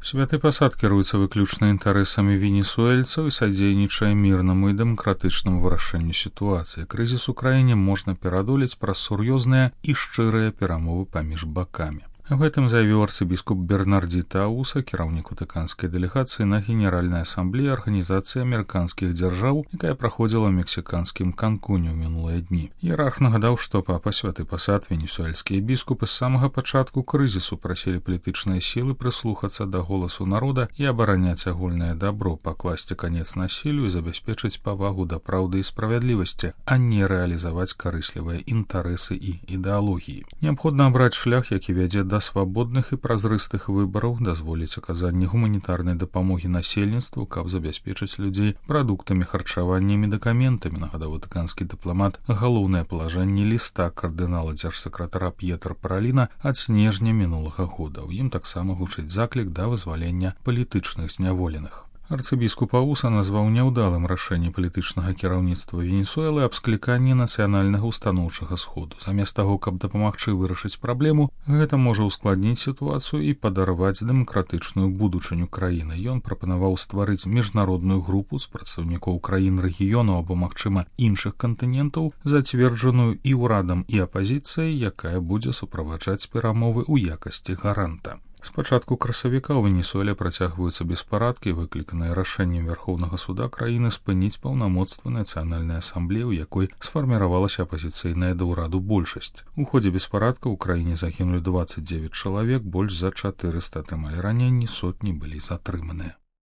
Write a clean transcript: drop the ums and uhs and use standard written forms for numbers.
Святы пасад кіруецца выключна інтарэсамі венесуэльцаў і садзейнічае мірнаму і дэмакратычнаму вырашэнню сітуацыі. Крызіс у краіне можна перадолець праз сур'ёзныя і шчырыя перамовы паміж бакамі. Аб гэтым заявіў арцыбіскуп Бернардзіта Ауса, кіраўнік ватыканскай дэлегацыі на Генеральнай асамблеі Арганізацыі амерыканскіх дзяржаў, якая праходзіла ў мексіканскім Канкуне ў мінулыя дні. Іерарх нагадаў, што папа святы пасад венесуэльскія біскупы з самага пачатку крызісу прасілі палітычныя сілы прыслухацца да голасу народа і абараняць агульнае дабро, пакласці канец насіллю і забяспечыць павагу да праўды і справядлівасці, а не рэалізаваць карыслівыя інтарэсы і ідэалогіі. Неабходна абраць шлях, які вядзе да свабодных і празрыстых выбараў, дазволіць аказанне гуманітарнай дапамогі насельніцтву, каб забяспечыць людзей прадуктамі харчавання і медыкаментамі, нагадаў ватыканскі дыпламат галоўнае палажэнне ліста кардынала дзяржсакратара П'етра Параліна ад снежня мінулага года. У ім таксама гучыць заклік да вызвалення палітычных зняволеных. Арцыбіскуп Ауса назваў няўдалым рашэнне палітычнага кіраўніцтва Венесуэлы аб скліканні нацыянальнага ўстаноўчага сходу. Замест таго, каб дапамагчы вырашыць праблему, гэта можа ўскладніць сітуацыю і падарваць дэмакратычную будучыню краіны. Ён прапанаваў стварыць міжнародную групу з прадстаўнікоў краін рэгіёну або, магчыма, іншых кантынентаў, зацверджаную і ўрадам, і апазіцыяй, якая будзе суправаджаць перамовы ў якасці гаранта. З пачатку красавіка ў Венесуэле працягваюцца беспарадкі, выкліканыя рашэннем Вярхоўнага суда краіны спыніць паўнамоцтва нацыянальнай асамблеі, у якой сфарміравалася апазіцыйная да ўраду большасць. У ходзе беспарадка ў краіне загінулі 29 чалавек, больш за 400 атрымалі раненні, сотні былі затрыманыя.